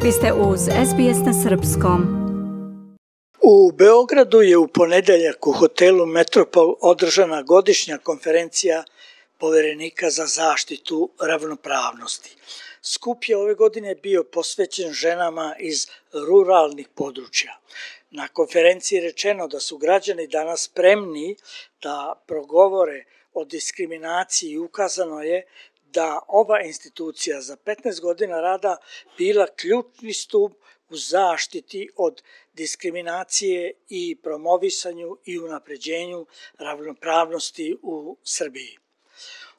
Vi ste uz SBS na srpskom. U Beogradu je u ponedeljak u hotelu Metropol održana godišnja konferencija Poverenika za zaštitu ravnopravnosti. Skup je ove godine bio posvećen ženama iz ruralnih područja. Na konferenciji je rečeno da su građani danas spremni da progovore o diskriminaciji i ukazano je da ova institucija za 15 godina rada bila ključni stup u zaštiti od diskriminacije i promovisanju i unapređenju ravnopravnosti u Srbiji.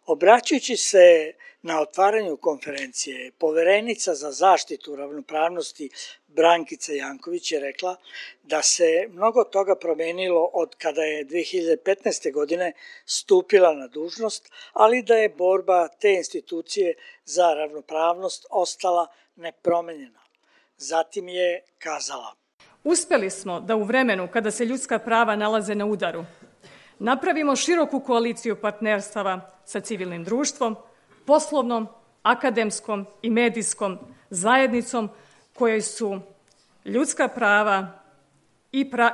Obraćajući se na otvaranju konferencije, Poverenica za zaštitu ravnopravnosti Brankica Janković je rekla da se mnogo toga promenilo od kada je 2015. godine stupila na dužnost, ali da je borba te institucije za ravnopravnost ostala nepromenjena. Zatim je kazala: Uspeli smo da u vremenu kada se ljudska prava nalaze na udaru, napravimo široku koaliciju partnerstava sa civilnim društvom, poslovnom, akademskom i medijskom zajednicom kojoj su ljudska prava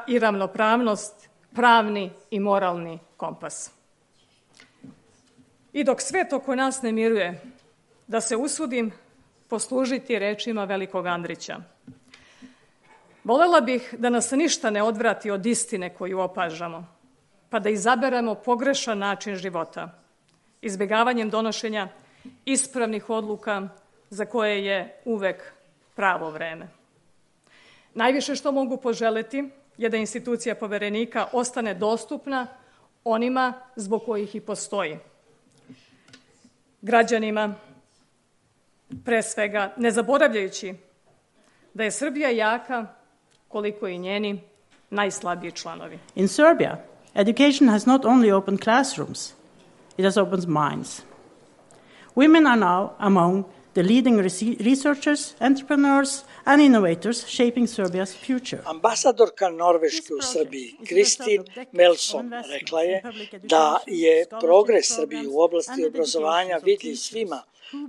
i ravnopravnost pravni i moralni kompas. I dok svet oko nas ne miruje, da se usudim poslužiti rečima velikog Andrića. Volela bih da nas ništa ne odvrati od istine koju opažamo, pa da izaberemo pogrešan način života, izbjegavanjem donošenja ispravnih odluka za koje je uvek pravo vreme. Najviše što mogu poželeti je da institucija Poverenika ostane dostupna onima zbog kojih i postoji. Građanima, pre svega, ne zaboravljajući da je Srbija jaka koliko i njeni najslabiji članovi. In Serbia, education has not only opened classrooms, it has opened minds. Women are now among the leading researchers, entrepreneurs and innovators shaping Serbia's future. Ambasadorka Norveške u Srbiji, Kristin Melson, rekla je da je progres Srbije u oblasti obrazovanja vidljiv svima,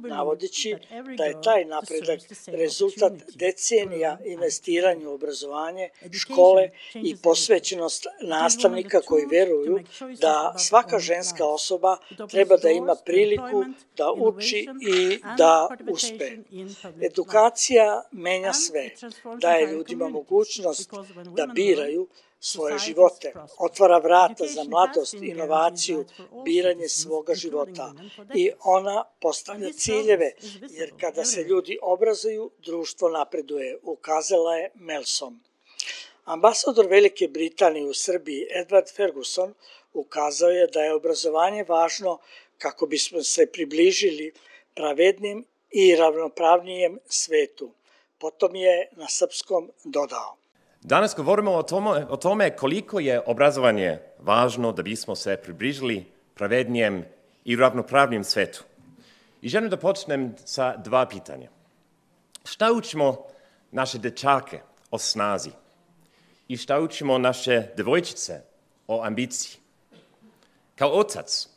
navodeći da je taj napredak rezultat decenija investiranja u obrazovanje, škole i posvećenost nastavnika koji veruju da svaka ženska osoba treba da ima priliku da uči i da uspe. Edukacija menja sve, daje ljudima mogućnost da biraju svoje živote, otvara vrata za mladost, inovaciju, biranje svoga života i ona postavlja ciljeve, jer kada se ljudi obrazuju, društvo napreduje, ukazala je Melson. Ambasador Velike Britanije u Srbiji, Edward Ferguson, ukazao je da je obrazovanje važno kako bismo se približili pravednim i ravnopravnijem svetu. Potom je na srpskom dodao: Danas govorimo o tome koliko je obrazovanje važno da bismo se približili pravednijem i ravnopravnijem svetu. I želim da počnem sa dva pitanja. Šta učimo naše dečake o snazi? I šta učimo naše devojčice o ambiciji? Kao otac,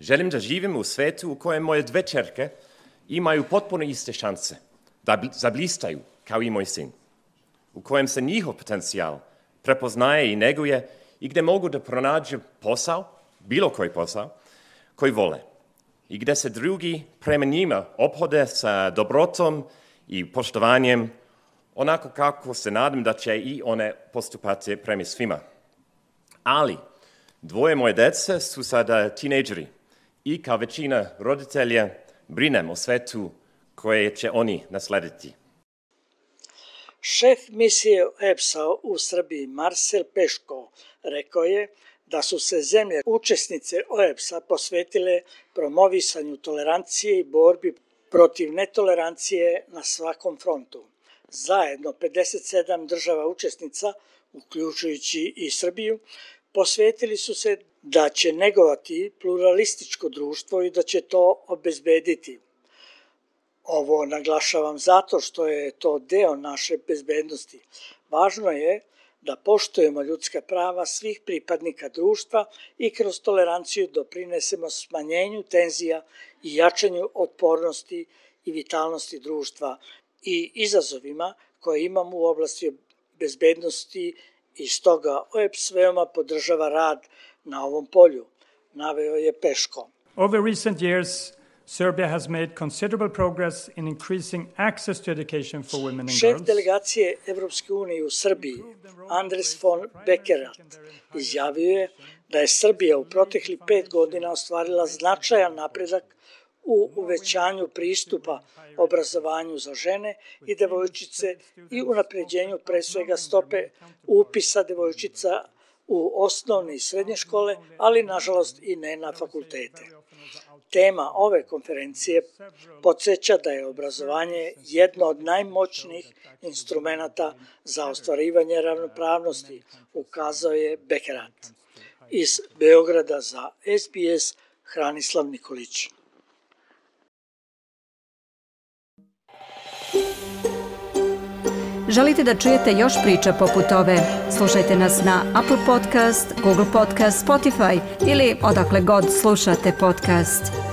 želim da živim u svetu u kojem moje dve ćerke imaju potpuno iste šanse da zablistaju kao i moj sin, u kojem se njihov potencijal prepoznaje i neguje i gde mogu da pronađu posao, bilo koji posao, koji vole i gde se drugi prema njima ophode sa dobrotom i poštovanjem, onako kako se nadam da će i one postupati prema svima. Ali dvoje moje dece su sada tinejdžeri i kao većina roditelja brinem o svetu koje će oni naslediti. Šef misije OEBS-a u Srbiji Marcel Peško rekao je da su se zemlje učesnice OEBS-a posvetile promovisanju tolerancije i borbi protiv netolerancije na svakom frontu. Zajedno 57 država učesnica, uključujući i Srbiju, posvetili su se da će negovati pluralističko društvo i da će to obezbediti. Ovo naglašavam zato što je to deo naše bezbednosti. Važno je da poštujemo ljudska prava svih pripadnika društva i kroz toleranciju doprinesemo smanjenju tenzija i jačanju otpornosti i vitalnosti društva, i izazovima koje imamo u oblasti bezbednosti i stoga OEBS veoma podržava rad na ovom polju, naveo je Peško. Over recent years, Serbia has made considerable progress in increasing access to education for women and girls. Šef delegacije Evropske unije u Srbiji, Andres von Bekerat, izjavio je da je Srbija u proteklih 5 godina ostvarila značajan napredak u uvećanju pristupa obrazovanju za žene i devojčice i unapređenju pre svega stope upisa devojčica u osnovne i srednje škole, ali nažalost i ne na fakultete. Tema ove konferencije podsjeća da je obrazovanje jedno od najmoćnijih instrumenata za ostvarivanje ravnopravnosti, ukazao je Bekerat. Iz Beograda za SBS Hranislav Nikolić. Želite da čujete još priča poput ove? Slušajte nas na Apple Podcast, Google Podcast, Spotify ili odakle god slušate podcast.